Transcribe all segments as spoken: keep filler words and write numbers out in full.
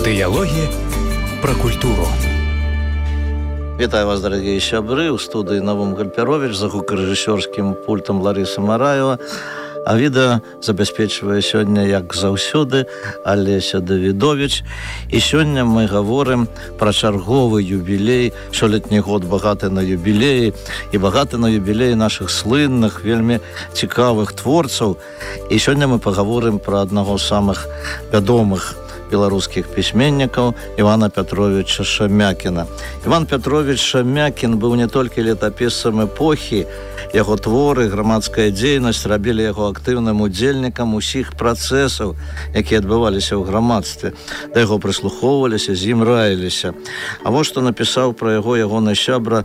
Диалоги про культуру. Вітаю вас, дорогие сябры. У студии Навум Гальперович, за гукарэжысёрскім пультом Лариса Мараева. А відэа забяспечвае сёння, як заўсёды, Алеся Давідович. І сёння мы гаворым пра чарговы юбілей. Сёлетні год багаты на юбілеі і багаты на юбілеі нашых слынных, вельмі цікавых творцаў. І сёння мы пагаворым пра аднаго з самых вядомых беларускіх пісьменнікаў Івана Пятровича Шамякіна. Іван Пятрович Шамякін быў не толькі летапісцам эпохі, яго творы, грамадская дзейнасць рабілі яго актыўным удзельнікам усіх працэсаў, якія адбываліся ў грамадстве. Да яго прыслухоўваліся, з ім раіліся. А вось што напісаў пра яго ягоны сябра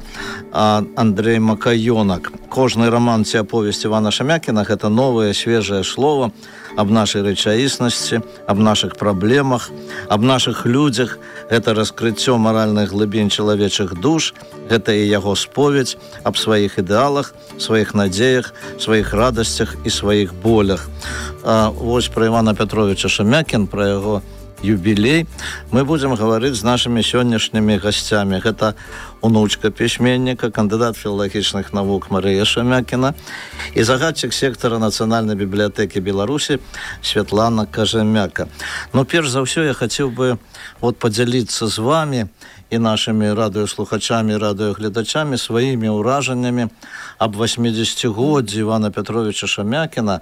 Андрей Макаёнак. Кожны раман ці аповесць Івана Шамякіна – гэта новае, свежае слово аб нашай рэчаіснасці, аб нашых праблемах, аб нашых людзях. Гэта раскрыццё маральных глыбінь чалавечых душ, гэта і яго споведь аб сваіх ідэалах, сваіх надзеях, сваіх радасцях і сваіх болях. А вось пра Івана Пятровича Шамякін, пра яго юбілей, мы будзем гаварыць з нашымі сённяшнімі гасцямі. Гэта унучка пісьменніка, кандыдат філалагічных навук Марыя Шамякіна і загадчык сектара Нацыянальнай бібліятэкі Беларусі Святлана Кажамяка. Ну, перш за ўсё, я хацеў бы вот падзяліцца з вамі і нашымі радыёслухачамі, радыёгледачамі сваімі ўражаннямі аб васьмідзесяцігоддзі Івана Пятровича Шамякіна.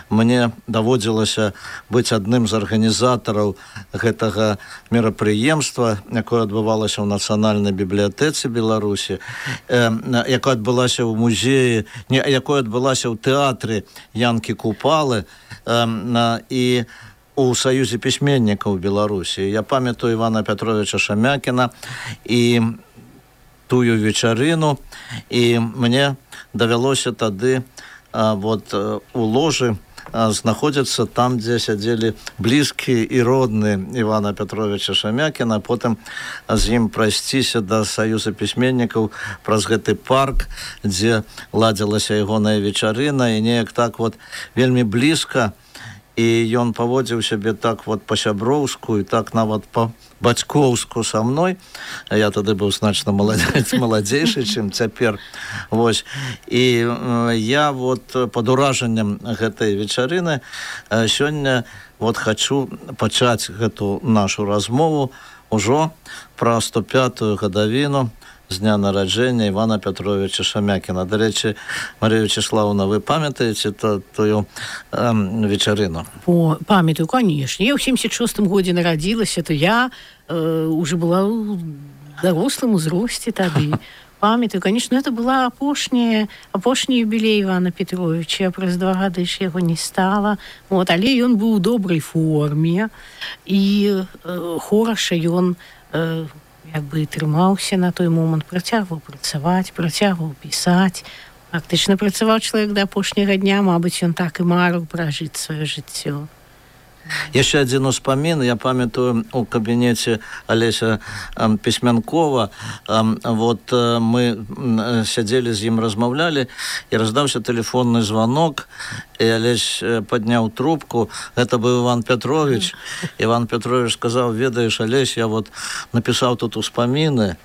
Мне даводзілася быць адным з арганізатараў гэтага мерапрыемства, якое адбывалася ў Нацыянальнай бібліятэцы Беларусі, э, якое адбылася ў музеі, не, якое адбылася ў тэатры Янкі Купалы э, і у Саюзе пісьменнікаў Беларусі. Я памятаю Івана Пятровича Шамякіна і тую вечарыну, і мне давялося тады а, вот, у ложы а, знаходзіцца там, дзе сядзелі блізкія і родныя Івана Пятровича Шамякіна, потым з ім прайсціся да Саюза пісьменнікаў праз гэты парк, дзе ладзілася ягоная вечарына, і неяк так вот вельмі блізка, і ён паводзіў сябе так вот па-сяброўску і так нават па-бацькоўску са мной. Я тады быў значна маладзейшы, чым цяпер. Вось. І я вот пад уражаннем гэтай вечарыны сёння вот хачу пачаць гэту нашу размову ўжо пра сто пятую гадавіну з дня нараджэння Івана Пятровича Шамякіна. До речі, Марія Вячеславовна, ви пам'ятаєте тую ем, вечерину? О, пам'ятаю, конечно. Я в сімдесят шостому году народилась, то я э, уже была в дорослом узросте тогда. Памятаю, конечно, это была апошняя, апошні юбілей Івана Петровича. Праз два гады ж яго не стала. Вот, але ён быў у добрай форме, і э, хораша ён э, як бы трымаўся на той момант, працягваў працаваць, працягваў пісаць. Фактычна працаваў чалавек да апошняга дня, мабыць, ён так і марыў пражыць сваё жыццё. Яшчэ адзін успамін. Я памятаю, у кабінеце Алеся э, Пісьмянкова, э, вот э, мы э, сядзелі з ім, размаўлялі, і раздаўся тэлефонны звонок, і Алесь э, падняў трубку. Гэта быў Іван Пятрович. Іван Пятрович сказаў: ведаеш, Алесь, я вот напісаў тут успаміны,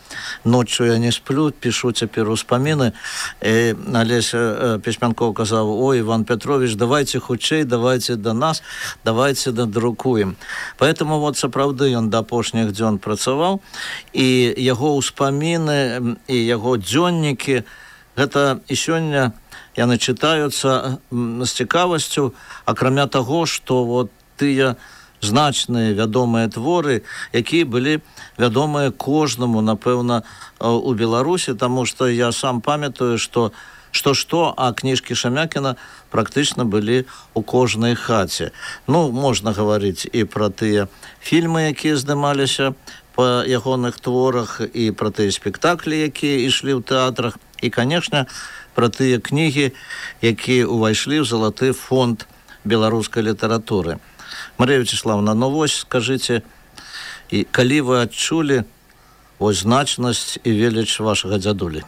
ноччу я не сплю, пішу цяпер успаміны. І Алесь э, Пісьмянков казаў: ой, Іван Пятрович, давайте хутчэй, давайте до нас, давайте надрукуем. Поэтому вот сапраўды ён да апошніх дзён працаваў, і яго ўспаміны і яго дзённікі, гэта і сёння яны чытаюцца з цікавасцю, акрамя таго, што вот тыя значныя вядомыя творы, якія былі вядомыя кожнаму, напэўна, у Беларусі, таму што я сам памятаю, што што-што, а кніжкі Шамякіна практычна былі ў кожнай хаце. Ну, можна гаварыць і пра тыя фільмы, якія здымаліся па ягоных творах, і пра тыя спектаклі, якія ішлі ў тэатрах, і, канешне, пра тыя кнігі, якія ўвайшлі ў залаты фонд беларускай літаратуры. Марія Вячеславовна, ну вось, скажыце, і калі вы адчулі вось значнасць і веліч вашага дзядулі?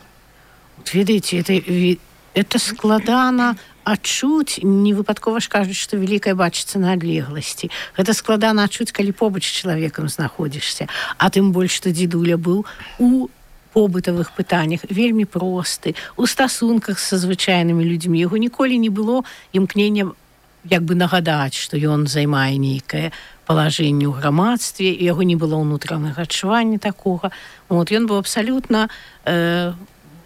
Ведаеце, это, это складана адчуць, не выпадкова ж кажуць, што вялікае бачыцца на адлегласці. Гэта складана адчуць, калі побач з чалавекам знаходзішся. А тым больш, што дзедуля быў у побытавых пытаннях вельмі просты, у стасунках са звычайнымі людзьмі. Яго ніколі не было імкнення як бы нагадаць, што ён займае нейкае палажэнне ў грамадстве, і яго не было ўнутранага адчування такога. Вот, ён быў абсалютна э,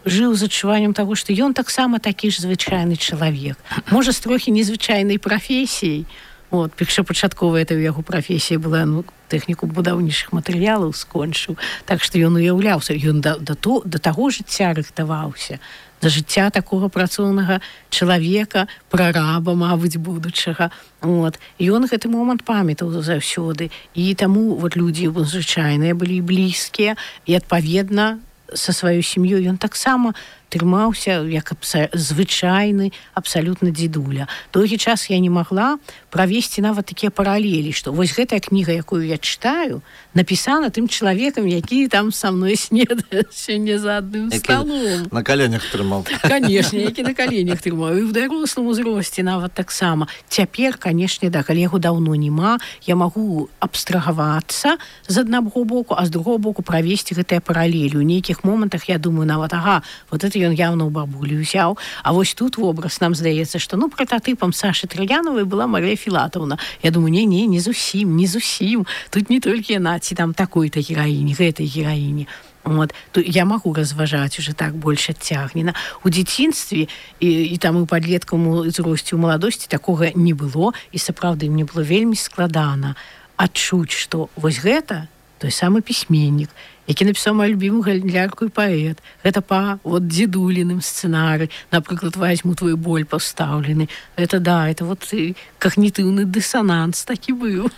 жыў з адчуваннем таго, што ён таксама такі ж звычайны чалавек. Можа, з трохі незвычайнай прафесіяй. Вот, першапачатковая это ў яго прафесія была, ну, тэхніку будаўнічых матэрыялаў скончыў. Так што ён уяўляўся, ён да, да, то, да таго жыцця рыхтаваўся. Да жыцця такога працоўнага чалавека, прараба, мабыць, будучага. Вот. І ён гэты момант памятаў заўсёды. І таму вот, людзі звычайныя былі блізкія, і адпаведна са сваёй сям'ёй ён таксама трымаўся як абса- звычайны абсалютна дзедуля. Доўгі час я не магла правесці нават такія паралелі, што вось гэтая кніга, якую я чытаю, напісана тым чалавекам, які там са мной снедае сёння за адным сталом. На каленях трымаў. Канешне, які на каленях трымаў. І ў дарослым узросце нават таксама. Цяпер, канешне, да, калі яго даўно няма, я магу абстрагавацца з аднаго боку, а з другого боку правесці гэтыя паралелі. У нейкіх момантах я думаю нават, ага, вот это ён явно ў бабулі ўзяў. А вось тут вобраз нам здаецца, што ну прататыпам Сашы Траяновай была Марыя Філатаўна. Я думаю, не, не, не зусім, не зусім. Тут не толькі яна, ці там такой-то гераіні, гэтай гераіні. Вот. То я магу разважаць уже так больш адцягнена. У дзяцінстве і, і там у падлеткавым узросце, у маладосці такога не было, і сапраўды мне было вельмі складана адчуць, што вось гэта той самы пісьменнік, які напісаў маю любімую гандлярку і паэт. Гэта па вот дзедуліным сцэнары. Напрыклад, «Возьму твой боль» пастаўлены. Это да, это вот когнітыўны дысананс такі быў.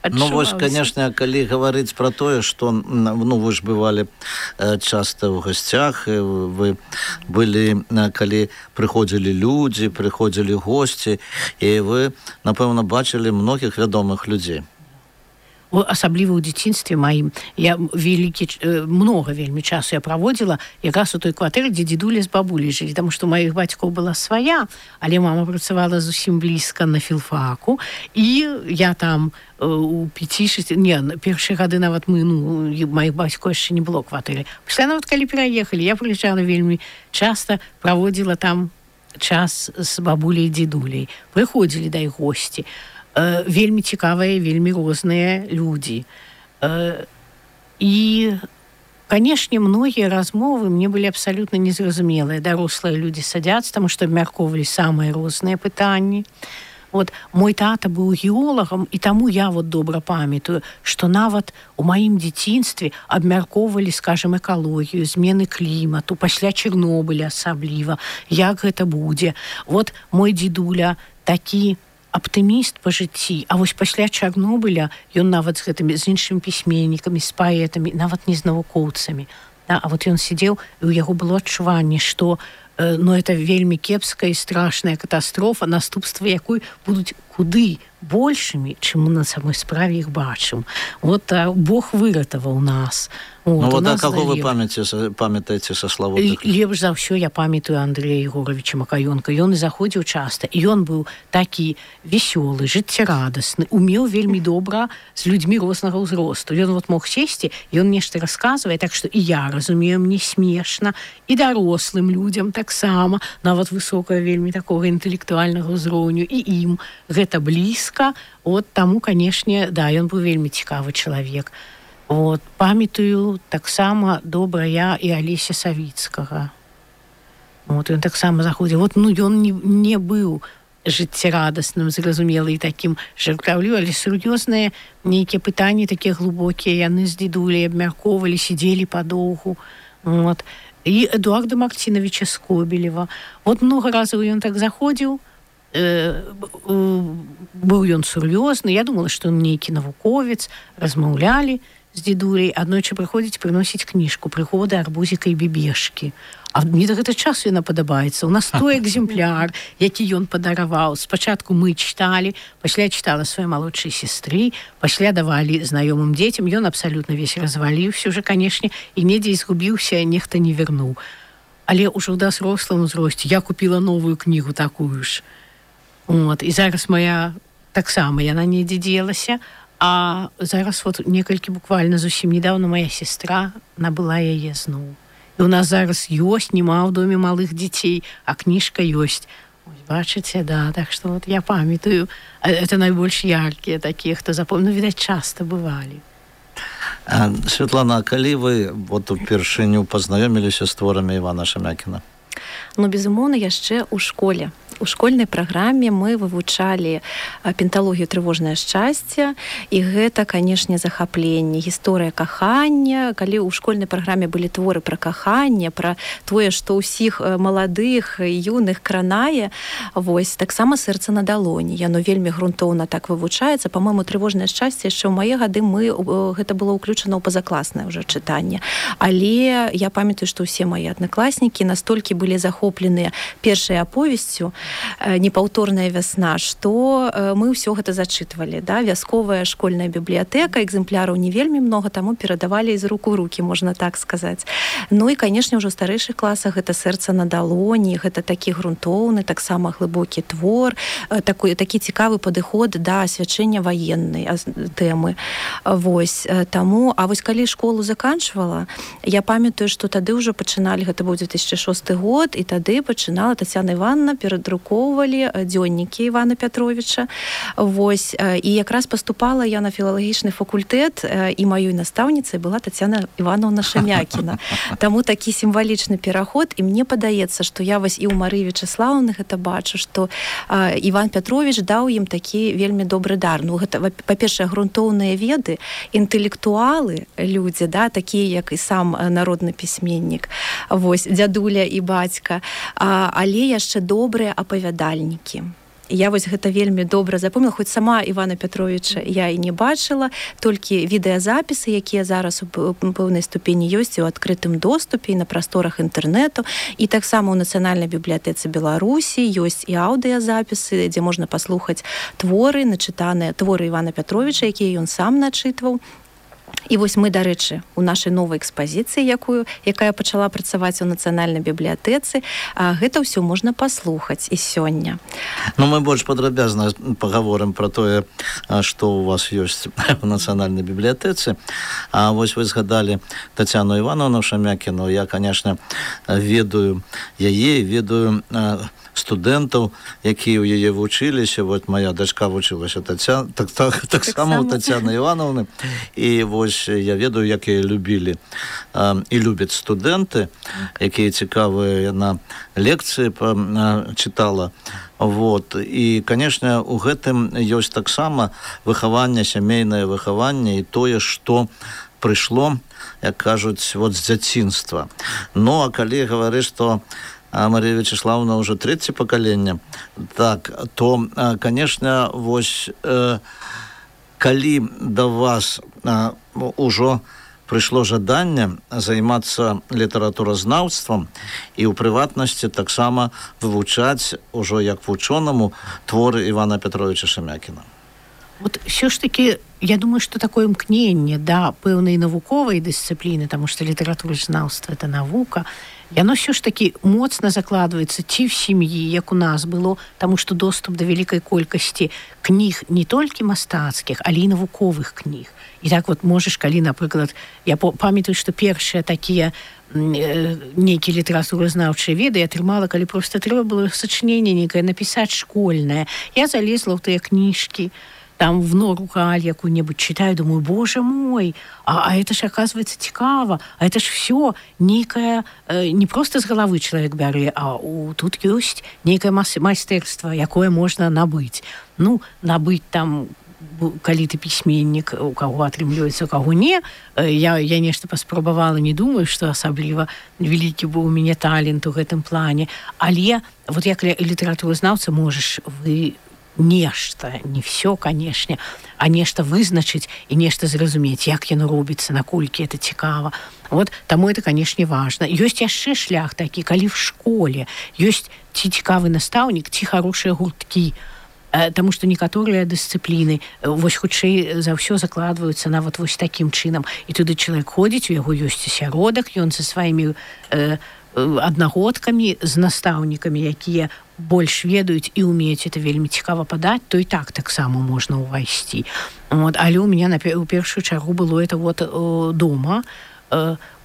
Ну, вось, конечно, калі гаварыць пра тое, што, ну, вы ж бывалі часта ў гасцях, вы былі, калі прыходзілі людзі, прыходзілі госці, і вы, напэўна, бачылі многіх вядомых людзей. Асабліва ў дзяцінстве маім. Я вялікі, многа вельмі часу я праводзіла якраз у той кватэры, дзе дзедуля з бабуляй жылі, таму што маіх бацькоў была свая, але мама працавала зусім блізка на філфаку, і я там у пяці-шасці, не, першыя гады нават мы, ну, маіх бацькоў яшчэ не было кватэры. Пасля нават калі пераехалі, я прыязджала вельмі часта, праводзіла там час з бабуляй і дзедуляй. Прыходзілі да іх госці. Вельмі цікавыя, вельмі розныя людзі. І, канешне, многія размовы мне былі абсалютна незразумелыя. Дарослыя людзі садзяцца, таму што абмяркоўвалі самыя розныя пытанні. Вот, мой тата быў геолагам, і таму я вот добра памятаю, што нават у маім дзяцінстве абмяркоўвалі, скажем, экалогію, змены клімату, пасля Чарнобыля асабліва, як гэта будзе. Вот мой дзедуля такі аптыміст па жыцці, а вось пасля Чарнобыля ён нават з гэтымі, з іншымі пісьменнікамі, з паэтамі, нават не з навукоўцамі. Да, а вот ён сидзеў, і ў яго было адчуванне, што э, ну, это вельмі кепская і страшная катастрофа, наступствы якой будуць куды большымі, чым мы на самой справе іх бачым. Вот а, Бог выратаваў нас. Вот, ну, вот а нас каго вы давер... памятаеце са славутых? Лепш за ўсё я памятаю Андрэя Егоровича Макаёнка. Ён і заходзіў часта. І ён быў такі весёлы, жыццярадасны, умеў вельмі добра з людзьмі рознага ўзросту. Ён вот мог сесці, ён нешта расказвае, так што і я разумею, мне смешна, і дарослым людзям таксама, нават высокага вельмі такога інтэлектуальнага ўзроўню, і ім гэта блізка. Вот таму, канешне, да, ён быў вельмі цікавы чалавек. Вот, памятаю таксама добра я і Алеся Савіцкага. Вот, ён таксама заходзіў. Вот, ну, ён не, не быў жыццярадасным, зразумелы і такім жартаўлівым, але сур'ёзныя нейкія пытанні, такія глыбокія, яны з дзедуляй абмяркоўвалі, сидзелі падоўгу. Вот. І Эдуарда Мартиновича Скобелева. Вот много разаў ён так заходзіў, э, быў ён сур'ёзны, я думала, што ён нейкі навуковец, размаўлялі з дзедуляй, аднойчы прыходзіць прыносіць кніжку «Прыгоды арбузіка і бібешкі». А мне да гэта часу яна падабаецца. У нас той экземпляр, які ён падараваў. Спачатку мы чыталі, пасля чытала сваёй малодшай сястры, пасля давалі знаёмым дзецям. Ён абсалютна весь разваліўся уже, канешне, і недзе згубіўся, нехта не вернуў. Але ўжо ў дарослым узросце я купіла новую кнігу такую ж. Вот. І зараз моя таксама яна недзе дзелася, а зараз вот некалькі буквально зусім недавно моя сестра набыла яе зноў. І у нас зараз ёсць, нема ў доме малых дзяцей, а кніжка ёсць. Ось, бачыце, да, так што вот я памятаю, это найбольш яркія такія, хто запомнил, ну, відаць, часта бывалі. А, Святлана, а калі вы вот упершыню пазнаёміліся з творамі Івана Шамякіна? Ну, безумоўна, яшчэ ў школе. У школьнай праграме мы вывучалі пенталогію трывожнае шчасце, і гэта, канешне, захапленне, гісторыя кахання. Калі ў школьнай праграме былі творы пра каханне, пра тое, што ўсіх маладых і юных кранае, вось, таксама сэрца на далоні. Яно вельмі грунтоўна так вывучаецца. Па-мойму, трывожнае шчасце яшчэ ў мае гады мы гэта было ўключана ў пазакласнае ўжо чытанне. Але я памятаю, што ўсе мае аднакласнікі настолькі былі захопленыя першай аповесцю «Непаўторная вясна», што мы ўсё гэта зачытвалі. Да? Вясковая школьная бібліятэка, экземпляраў не вельмі многа, таму перадавалі з рук у рукі, можна так сказаць. Ну і, канешне, ўжо ў старэйшых класах гэта «Сэрца на далоні», гэта такі грунтоўны, таксама глыбокі твор, такі, такі цікавы падыход да асвячэння ваеннай тэмы. Вось, таму, а вось калі школу заканчвала, я памятаю, што тады ўжо пачыналі, гэта быў две тысячы шосты год, і тады пачынала Тацяна Івановна перадрукоўваць дзённікі Івана Пятровіча. Вось. І якраз паступала я на філалагічны факультэт, і маёй настаўніцай была Тацяна Івановна Шамякіна. Таму такі сімвалічны пераход, і мне падаецца, што я вось і ў Марыі Вячеслаўны гэта бачу, што Іван Пятровіч даў ім такі вельмі добры дар. Ну, гэта, па-першае, грунтоўныя веды, інтэлектуалы, людзі, да, такія, як і сам народны пісьменнік, вось, дзядуля і бацька, але яшчэ добрыя апавядальнікі. Я вось гэта вельмі добра запомнила, хоць сама Івана Пятровіча я і не бачыла, толькі відэазапісы, якія зараз у пэўнай ступені ёсць у адкрытым доступе і на прасторах інтэрнэту, і таксама ў Нацыянальнай бібліятэцы Беларусі ёсць і аўдыязапісы, дзе можна паслухаць творы, начытаныя творы Івана Пятровіча, якія ён сам начытваў. І вось мы, дарэчы, у нашай новай экспазіцыі, якую, якая пачала працаваць у Нацыянальнай бібліятэцы, гэта ўсё можна паслухаць і сёння. Ну, мы больш падрабязна пагаворым пра тое, што у вас ёсць у Нацыянальнай бібліятэцы. А вось вы згадалі Тацяну Івановну Шамякіну. Я, конечно, ведаю яе, ведаю студэнтаў, якія ў яе вучыліся. Вот моя дачка вучылася Таця... так, так, так, так само у Тацяны Івановны. І вось я ведаю, як яе любілі э, і любяць студэнты, якія цікавыя на лекцыі э, чытала. Вот. І, конечно, у гэтым ёсць таксама выхаванне, сямейнае выхаванне і тое, што прыйшло, як кажуць, вот з дзяцінства. Ну, а калі гаварыць, што а Мария Вячеславовна уже третье поколение, так, то, конечно, вось, э, калі до вас э, уже пришло жаданне займацца літаратуразнаўствам і ў прыватнасці таксама вывучаць ужо як вучонаму творы Івана Пятровича Шамякіна. Вот все ж таки, я думаю, что такое імкненне да пэўнай навуковай дысцыпліны, таму што літаратуразнаўства — это навука, яно все ж таки моцна закладваецца ці в сям'і, як у нас было, таму што доступ да вялікай колькасці кніг не толькі мастацкіх, але і навуковых кніг. І так вот можаш, калі, напрыклад, я памятаю, што першыя такія нейкія літаратуразнаўчыя веды я атрымала, калі проста трэба было сачыненне нейкае напісаць школьнае. Я залезла ў тыя кніжкі, там в нору галь какую-нибудь читаю, думаю, боже мой, а, а это ж, оказывается, цікаво, а это ж все некое, э, не просто с головы человек бярэ, а у, тут есть некое майстэрства, якое можно набыць. Ну, набыць там, калі ты пісьменнік, у каго атрымліваецца, у каго не, я, я нешта паспрабавала, не думаю, што асабліва вялікі быў у мяне талент у гэтым плане, але вот як літаратуразнаўца можаш вы нешта, не все, канешне, а нешта вызначыць і нешта зразумець, як яно робіцца, наколькі это цікава. Вот, таму это, канешне, важна. Ёсць яшчэ шлях такі, калі в школе ёсць ці цікавы настаўнік, ці хорошыя гурткі, таму што некаторыя дысцыпліны вось хутчэй за ўсё закладваюцца нават вось такім чынам. І туды чалавек ходзіць, у яго ёсць асяродак, ён са сваімі э, аднагодкамі, з настаўнікамі, якія больш ведаюць і умеюць это вельмі цікава падаць, то і так таксама можна ўвайсці. Вот. Але ў меня у першую чаргу было это вот дома,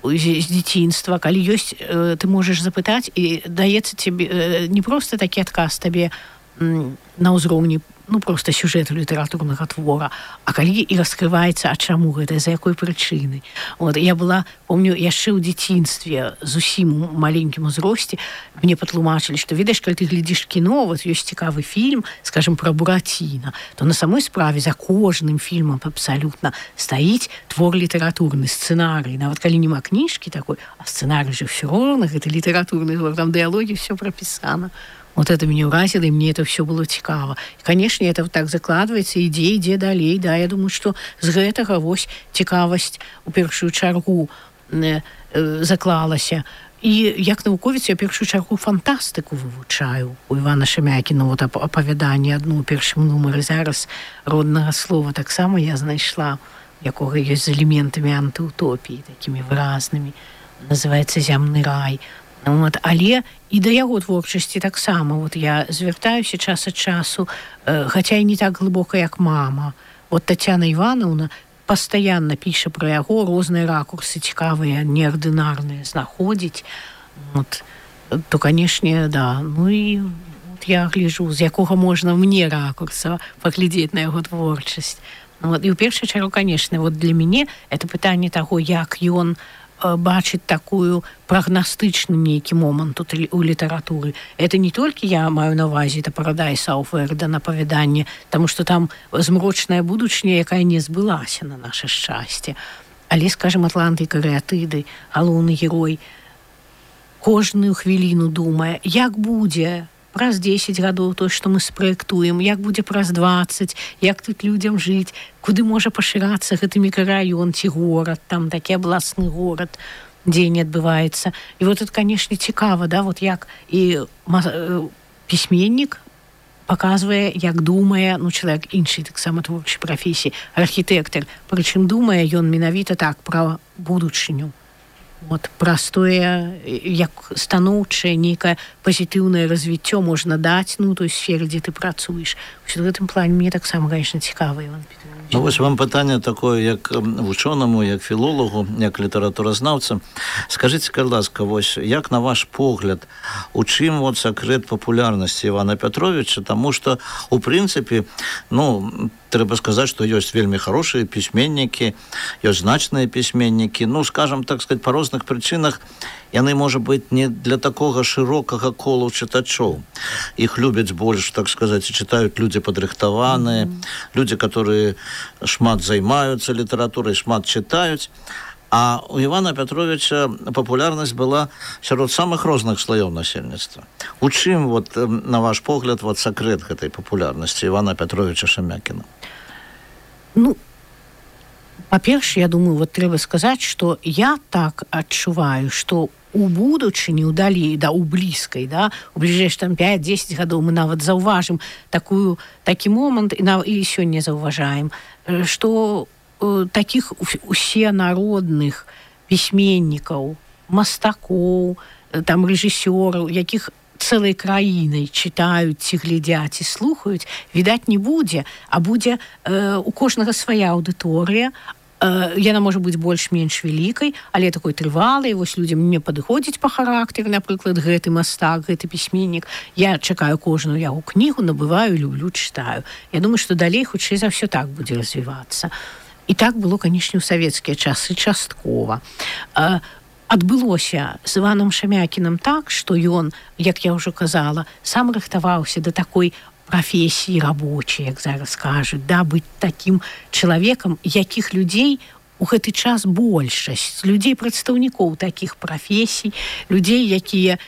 з дзяцінства, калі ёсць, ты можаш запытаць, і даецца тебе не проста такі адказ табе на ўзроўні ну, просто сюжэту літаратурнага твора, а калі і раскрываецца, а чаму гэта, за якой прычыны. Вот, я была, помню, яшчэ ў дзяцінстве, зусім у маленькім узросце, мне патлумачылі, што, ведаеш, калі ты глядзіш кіно, вот ёсць цікавы фільм, скажем, пра Бураціна, то на самой справе за кожным фільмам абсалютна стаіць твор літаратурны, сцэнарый. Нават калі няма кніжкі такой, а сцэнарый же ўсё роўна, гэта літаратурны твор, там дыялогі, ўсё прапісана. Вот это меня уразило, и мне это все было цікаво. И, конечно, это вот так закладывается, ідзе, ідзе далей, да, я думаю, что з гэтага вось цікавасць у першую чаргу э, э, заклалася. І як навуковец я першую чаргу фантастыку вывучаю. У Івана Шамякіна вот апавяданне адно ў першым нумары зараз роднага слова таксама я знайшла, якога ёсць з элементамі антыутопіі, такімі выразнымі. Называецца «Зямны рай». Вот, але і да яго творчасці таксама вот я звяртаюся час ад часу, э, хаця і не так глыбока, як мама. Вот Тацяна Івановна пастаянна піша пра яго, розныя ракурсы цікавыя, неардынарныя знаходзіць. Вот, то, канешне, да. Ну і вот я гляжу, з якога можна мне ракурса паглядзець на яго творчасць. Вот, і ў першую чаргу, канешне, вот для мяне это пытанне таго, як ён бачыць такую прагнастычны нейкі момант у літаратуры. Это не толькі я маю на ўвазе, это Парадайс Ауф Верден апавяданне, таму што там змрочная будучыня, якая не збылася на наше шчасце. Але, скажем, Атланты і карыятыды, галоўны герой, кожную хвіліну думае, як будзе праз дзесяць гадоў то, што мы спраектуем, як будзе праз дваццаць, як тут людзям жыць, куды можа пашырацца гэты мікрараён ці горад, там такі абласны горад, дзе не адбываецца. І вот это, канешне, цікава, да, вот як і пісьменнік паказвае, як думае, ну, чалавек іншай таксама творчай прафесіі, архітэктар, прычым думае ён менавіта так пра будучыню. Вот простое, як станоўчае, нейкае пазітыўнае развіццё можна даць, ну, той сферы, дзе ты працуеш. В гэтым плане мне таксама, конечно, цікава, Іван Петрович. Ну, вось вам пытанне такое, як вучонаму, як філолагу, як літаратуразнаўца. Скажыце, калі ласка, вось, як на ваш погляд, у чым вот сакрэт папулярнасці Івана Пятровича, таму што, у прынцыпе, ну, трэба сказаць, што ёсць вельмі хорошыя пісьменнікі, ёсць значныя пісьменнікі, ну, скажам, так сказать, па розных прычынах, яны, можа быць, не для такога шырокага колу чытачоў. Іх любяць больш, так сказаць, чытаюць людзі падрыхтаваныя, mm-hmm. людзі, которые шмат займаюцца літаратурай, шмат чытаюць. А у Івана Пятровича папулярнасць была сярод самых розных слаёў насельніцтва. У чым, вот, на ваш погляд, вот, сакрэт гэтай папулярнасці Івана Пятровича Шамякіна? Ну, па-перше, я думаю, вот трэба сказаць, што я так адчуваю, што у будучыні, у далей, да, у блізкай, да, у бліжэйш там пяць-дзесяць гадоў мы нават заўважым такую, такі момант, і, і сёння заўважаем, што таких усенародных пісьменнікаў, мастакоў, там рэжысёраў, якіх цэлай краінай чытаюць, ці глядзяць і слухаюць, відаць, не будзе, а будзе э, у кожнага свая аўдыторыя. Э, яна можа быць больш-менш вялікай, але такой трывалай, вось людзям не падыходзіць па характары, напрыклад, гэты мастак, гэты пісьменнік. Я чакаю кожную яго кнігу, набываю, люблю, чытаю. Я думаю, што далей хутчэй за ўсё так будзе развівацца. І так было, канешне, у савецкія часы часткова. Э, адбылося з Іванам Шамякінам так, што ён, як я ўжо казала, сам рыхтаваўся да такой прафесіі рабочай, як зараз кажуць, да, быць такім чалавекам, якіх людзей у гэты час большасць, людзей прадстаўнікоў такіх прафесій, людзей, якія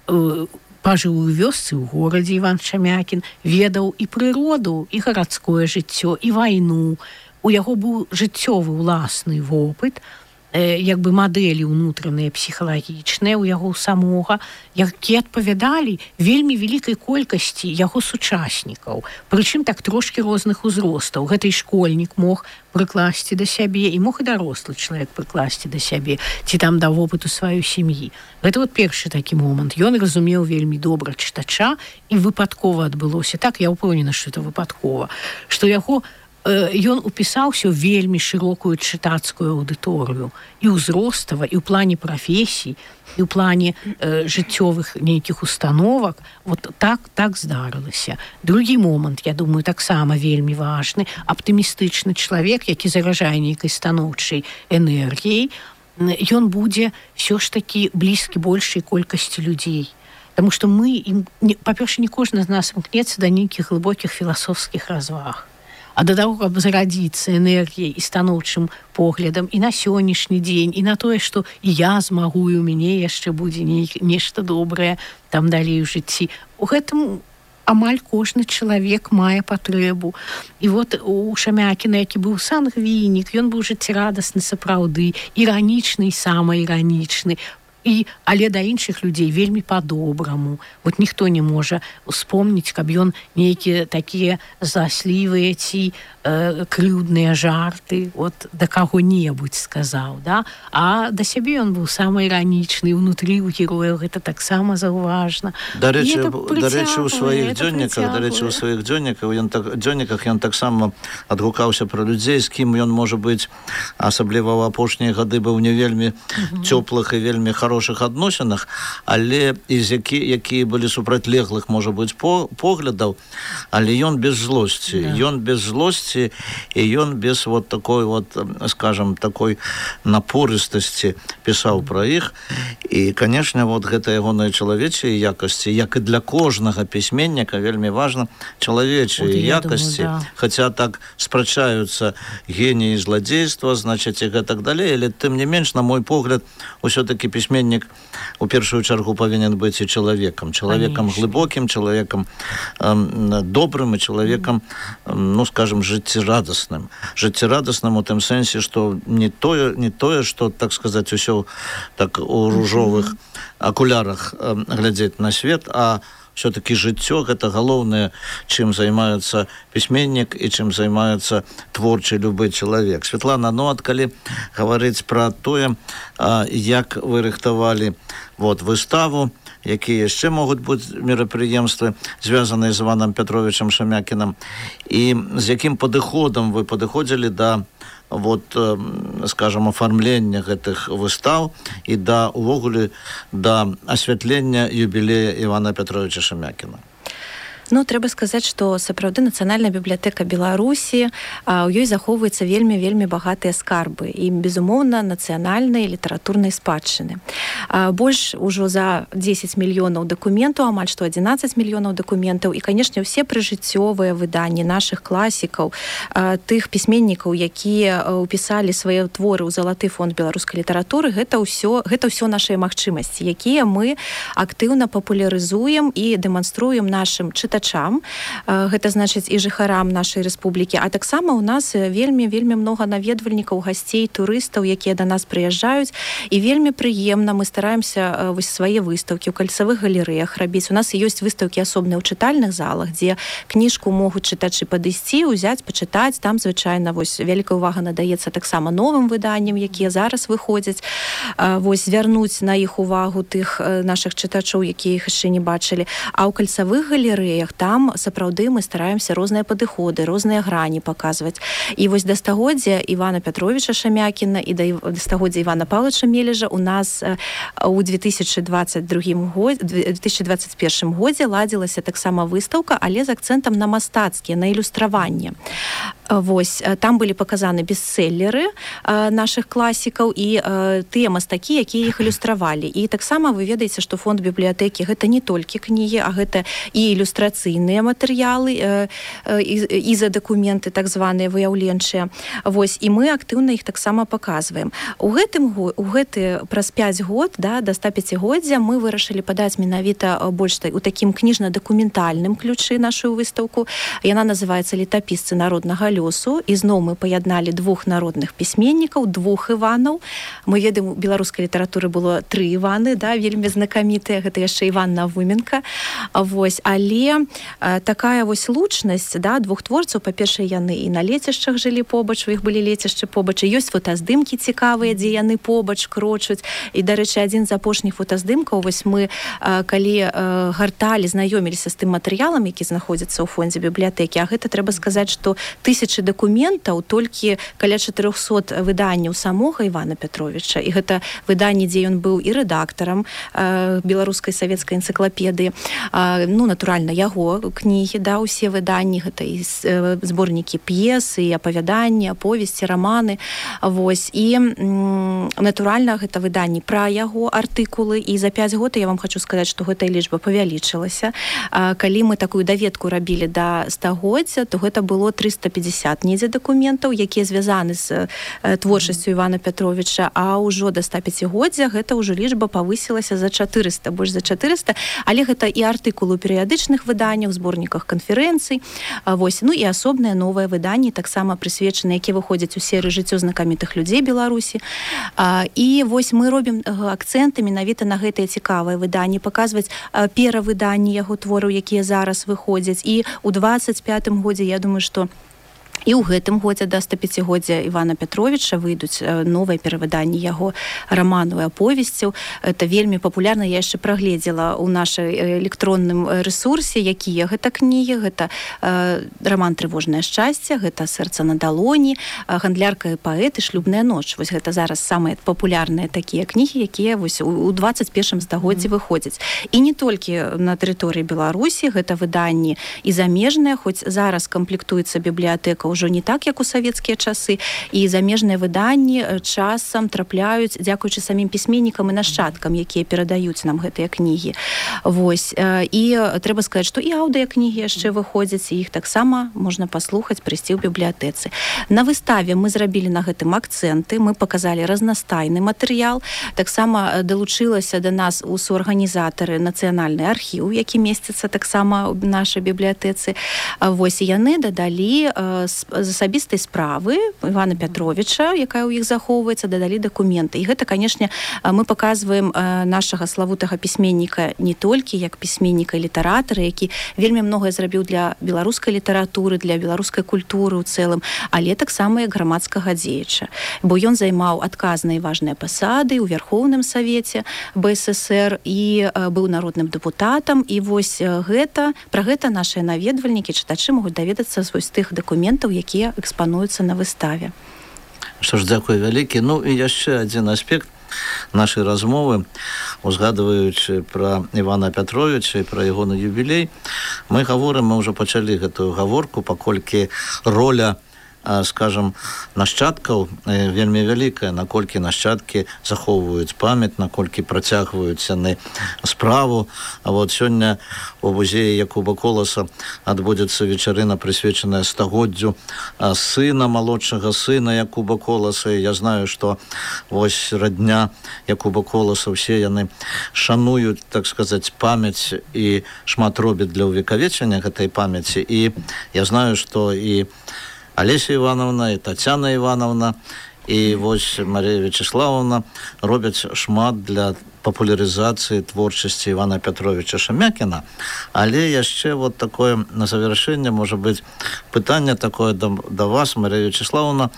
э, пажыў у вёсцы, у горадзе Іван Шамякін, ведаў і прыроду, і гарадское жыццё, і вайну. У яго быў жыццёвы ўласны вопыт, як бы мадэлі ўнутраныя псіхалагічныя ў яго самога, якія адпавядалі вельмі вялікай колькасці яго сучаснікаў, прычым так трошкі розных узростаў. Гэта і школьнік мог прыкласці да сябе, і мог і дарослы чалавек прыкласці да сябе, ці там да вопыту сваёй сям'і. Гэта вот першы такі момант. Ён разумеў вельмі добра чытача, і выпадкова адбылося. Так, я ўпэўнена, што это выпадкова, што яго ён упісаўся ў вельмі шырокую чытацкую аўдыторыю і ўзростава, і ў плане прафесій, і ў плане э, жыццёвых нейкіх установак. Вот так, так здарылася. Другі момант, я думаю, таксама вельмі важны. Аптымістычны чалавек, які заражае нейкай станоўчай энергіяй, ён будзе ўсё ж такі блізкі большай колькасці людзей. Таму што мы, па-перша, не кожны з нас імкнецца да нейкіх глыбокіх філасофскіх разваг. А да таго, каб зарадзіцца энергіяй і станоўчым поглядам і на сённяшні дзень, і на тое, што і я змагу, і ў мяне яшчэ будзе нешта добрае там далей у жыцці. У гэтым амаль кожны чалавек мае патрэбу. І вот у Шамякіна, які быў сангвінік, ён быў жыццярадасны сапраўды, іранічны і самаіранічны, і, але да іншых людзей вельмі па-добраму. Вот ніхто не можа успомніць, каб ён нейкія такія заслівыя ці э, крыўдныя жарты вот да каго-небудзь сказаў, да? А да сябе ён быў самаіранічны, унутры ў герояў гэта таксама заўважна. Дарэчы, дарэчы, у сваіх дзённіках, дарэчы, у сваіх дзённіках ён так, дзённіках ён таксама адгукаўся пра людзей, з кім ён, можа быць, асабліва ў апошнія гады быў не вельмі цёплых і вельмі хорошых хорошых адносінах, але і з які, якія былі супрацьлеглых, можа быць, по, поглядаў, але ён без злосці. Да. Ён без злосці, і ён без вот такой вот, скажем, такой напорыстасці пісаў пра іх. І, конечно, вот гэта ягоныя чалавечыя якасці, як і для кожнага пісьменніка вельмі важна чалавечыя якасці. Думаю, да. Хаця так спрачаюцца геніі зладзейства, значыць, і гэтак далей, але тым не менш, на мой погляд, усё-таки пісьменнік у першую чаргу павінен быць і чалавекам. Чалавекам глыбокім, чалавекам э, добрым і чалавекам, э, ну, скажем, жыццярадасным. Жыццярадасным у тым сэнсе, што не тое, не тое, што, так сказаць, усё так у ружовых акулярах э, глядзець на свет, а все-таки жыццё — гэта галоўнае, чым займаецца пісьменнік і чым займаецца творчы любы чалавек. Светлана, ну, ад калі гаварыць пра тое, як вы рыхтавалі вот, выставу, якія яшчэ могуць быць мерапрыемствы, звязаныя з Іванам Пятровичам Шамякінам, і з якім падыходам вы падыходзілі да вот, скажем, оформлення гэтых выстав і да, увогуле, да асвятлення юбілея Івана Пятровича Шамякіна. Ну, трэба сказаць, што сапраўды Нацыянальная бібліятэка Беларусі, а, у ёй захоўваецца вельмі-вельмі багатыя скарбы і, безумоўна, нацыянальнай літаратурнай спадчыны. А, больш ужо за дзесяць мільёнаў дакументаў, амаль што адзінаццаць мільёнаў дакументаў, і, канешне, ўсе прыжыццёвыя выданні нашых класікаў, а, тых пісьменнікаў, якія ўпісалі свае творы ў залаты фонд беларускай літаратуры, гэта ўсё, гэта ўсё нашыя магчымасці, якія мы актыўна папулярызуем і дэманструем нашым чытачам. Гэта значыць і жыхарам нашай рэспублікі, а таксама у нас вельмі-вельмі многа наведвальнікаў, гасцей, турыстаў, якія да нас прыязджаюць, і вельмі прыемна мы стараемся вось свае выстаўкі ў кальцавых галерэях рабіць. У нас ёсць выстаўкі асобныя ў чытальных залах, дзе кніжку могуць чытачы падысці, узяць, пачытаць. Там звычайна вось вялікая ўвага надаецца таксама новым выданням, якія зараз выходзяць, вось звярнуць на іх увагу тых нашых чытачоў, якія іх яшчэ не бачылі. А ў кальцавых галерэях там сапраўды мы стараемся розныя падыходы, розныя грані паказваць. І вось да стагоддзя Івана Пятровича Шамякіна і да стагоддзя Івана Павловича Мележа у нас у две тысячи двадцать другім годзе, две тысячи двадцать першым годзе ладзілася таксама выстаўка, але з акцэнтам на мастацкія, на ілюстраванне. Вось, там былі паказаны бестселлеры нашых класікаў і тыя мастакі, якія іх ілюстравалі. І таксама вы ведаеце, што фонд бібліятэкі гэта не толькі кнігі, а гэта і ілюстрацыйныя матэрыялы, і за дакументы так званыя выяўленчыя. Вось, і мы актыўна іх таксама паказваем. У гэтым у гэты праз пяць год, да, да ста пяцігоддзя мы вырашылі падаць менавіта больш у такім кніжна-дакументальным ключы нашу выстаўку. Яна называецца «Летапісцы народнага лёсу, і зноў мы паядналі двух народных пісьменнікаў, двух Іванаў. Мы ведаем, у беларускай літаратуры было тры Іваны, да, вельмі знакамітыя, гэта яшчэ Іван Навуменка. Вось, але а, такая вось лучнасць, да, двух творцаў, па-першае, яны і на лецішчах жылі побач, у іх былі лецішчы побач, і ёсць фотаздымкі цікавыя, дзе яны побач крочуць. І, дарэчы, адзін з апошніх фотаздымкаў, вось мы, а, калі а, гарталі, знаёміліся з тым матэрыялам, які знаходзіцца ў фондзе бібліятэкі, а гэта трэба сказаць, што тысячы дакументаў, толькі каля чатырохсот выданняў самога Івана Пятровіча, і гэта выданне, дзе ён быў і рэдактарам а, беларускай савецкай энцыклапедыі, а, ну, натуральна, яго кнігі, да, усе выданні, гэта і зборнікі п'ес, і апавяданні, аповесці, раманы, вось, і м, натуральна, гэта выданні пра яго артыкулы, і за пяць год я вам хочу сказаць, што гэтая лічба павялічылася. А, калі мы такую даведку рабілі да стагоддзя, то гэта было трыста пятьдесят недзе дакументаў, якія звязаны з э, творчасцю Івана Пятровіча, а ўжо да ста пяцігоддзя гэта ўжо лічба павысілася за чатырыста, больш за чатырыста, але гэта і артыкулы ў перыядычных выданнях, зборніках канферэнцый, а, вось, ну і асобныя новыя выданні, таксама прысвечаныя, якія выходзяць у серыі жыццё знакамітых людзей Беларусі. А, і вось мы робім акцэнты менавіта на гэтыя цікавыя выданні, паказваць а, перавыданні яго твораў, якія зараз выходзяць. І ў двадцать пятым годзе, я думаю, што і ў гэтым годзе да ста пяцігоддзя Івана Пятровіча выйдуць новыя перавыданні яго раманаў і аповесцяў. Это вельмі папулярна, я яшчэ прагледзела ў нашай электронным рэсурсе, якія гэта кнігі, гэта э, раман «Трывожнае шчасце», гэта «Сэрца на далоні», «Гандлярка і паэт» і «Шлюбная ноч». Вось гэта зараз самыя папулярныя такія кнігі, якія вось у двадцать першым стагоддзі mm. выходзяць. І не толькі на тэрыторыі Беларусі, гэта выданні і замежныя, хоць зараз камплектуецца бібліятэка ўжо не так, як у савецкія часы, і замежныя выданні часам трапляюць дзякуючы самім пісьменнікам і нашчадкам, якія перадаюць нам гэтыя кнігі. Вось. І трэба сказаць, што і аўдыакнігі яшчэ выходзяць, і іх таксама можна паслухаць, прыйсці ў бібліятэцы. На выставе мы зрабілі на гэтым акцэнты, мы паказалі разнастайны матэрыял, таксама далучылася да нас у суарганізатары нацыянальны архіў, які месціцца таксама ў нашай бібліятэцы. Вось, і яны дадалі з асабістай справы Івана Пятровіча, якая ў іх захоўваецца, дадалі дакументы. І гэта, канешне, мы паказваем нашага славутага пісьменніка не толькі як пісьменніка і літаратара, які вельмі многае зрабіў для беларускай літаратуры, для беларускай культуры ў цэлым, але таксама як грамадскага дзеяча. Бо ён займаў адказныя і важныя пасады ў Вярхоўным Савеце бэ эс эсэр і быў народным дэпутатам. І вось гэта, пра гэта нашыя наведвальнікі, чытачы могуць даведацца з вось тых дакументаў, якія экспануюцца на выставе. Што ж, дзякуй вялікі. Ну і яшчэ адзін аспект нашай размовы, узгадваючы пра Івана Пятровіча і пра ягоны юбілей, мы гаворым, мы ўжо пачалі гэтую гаворку, паколькі роля, скажем, нашчадкаў вельмі вялікая, наколькі нашчадкі захоўваюць памяць, наколькі працягваюць яны справу. А вот сёння у музеі Якуба Коласа адбудзецца вечарына, прысвечаная стагоддзю сына, малодшага сына Якуба Коласа. І я знаю, што вось радня Якуба Коласа, ўсе яны шануюць, так сказаць, памяць і шмат робяць для ўвекавечання гэтай памяці. І я знаю, што і Алеся Івановна, і Тацяна Івановна, і вось Марія Вячеславовна робяць шмат для папулярызацыі творчасці Івана Пятровіча Шамякіна. Але яшчэ вот такое на завяршэнне, можа быць, пытанне такое да, да вас, Марія Вячеславовна.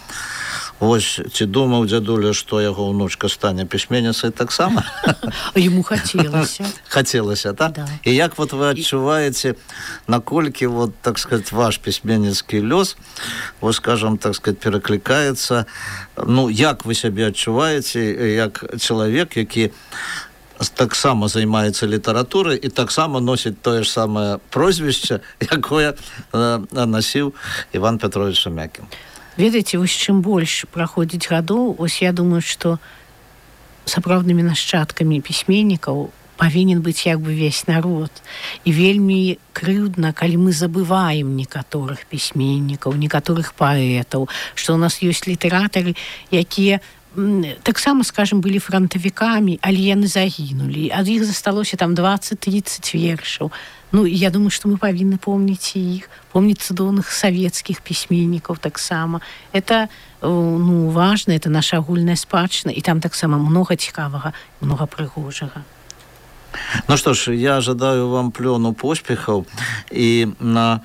Вось, ці думаў дзядуля, што яго ўнучка стане пісьменніцай таксама? Яму хацелася. Хацелася, так? Да. І як вот вы адчуваеце, наколькі, вот, так сказать, ваш пісьменніцкі лёс, вот, скажем, так сказать, пераклікаецца, ну, як вы сябе адчуваеце, як чалавек, які таксама займаецца літаратурай і таксама носіць тое ж самае прозвішча, якое насіў Іван Пятровіч Шамякін? Ведаеце, вось чым больш праходзіць гадоў, ось я думаю, што сапраўднымі нашчадкамі пісьменнікаў павінен быць як бы весь народ. І вельмі крыўдна, калі мы забываем некаторых пісьменнікаў, некаторых паэтаў, што ў нас ёсць літаратары, якія таксама, скажем, былі фронтавікамі, але яны загінулі. Ад іх засталося там дваццаць-трыццаць вершаў. Ну, я думаю, што мы павінны помніць іх, помніць цудоўных савецкіх пісьменнікаў таксама. Это, ну, важна, это наша агульная спадчына, і там таксама многа цікавага, многа прыгожага. Ну что ж, я жадаю вам плёну поспехаў і на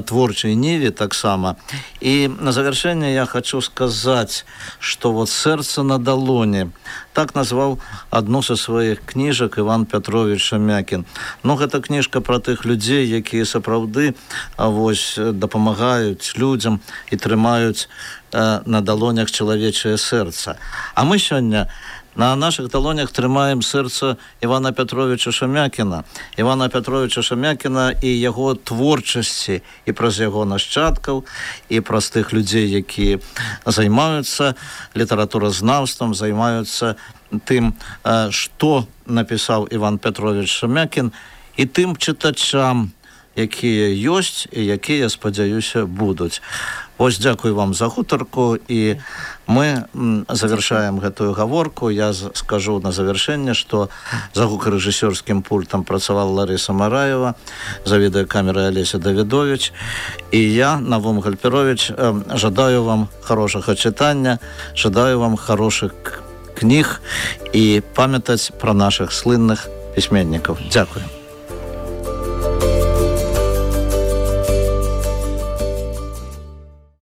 творчай ніве таксама. І на завершэнне я хочу сказаць, што вот «Сэрца на далоні» так назваў адну са сваіх кніжак Іван Пятрович Шамякін. Ну, гэта кніжка пра тых людзей, якія сапраўды вось дапамагаюць людзям і трымаюць э, на далонях чалавечае сэрца. А мы сёння на наших далонях трымаем сэрца Івана Пятровича Шамякіна. Івана Пятровича Шамякіна і яго творчасці, і праз яго нашчадкаў, і праз тых людзей, якія займаюцца літаратуразнаўствам, займаюцца тым, што напісаў Іван Пятрович Шамякін, і тым чытачам, якія ёсць і якія, спадзяюся, будуць. Вось, дзякую вам за гутарку, і мы завершаем гэтую гаворку. Я скажу на завершэнне, што за гукарэжысёрскім пультам працавала Ларыса Мараева, за відэакамерай Алеся Давідович, і я, Навум Гальперович, жадаю вам хорошага чытання, жадаю вам хорошых кніг і памятаць пра нашых слынных пісьменнікаў. Дзякую.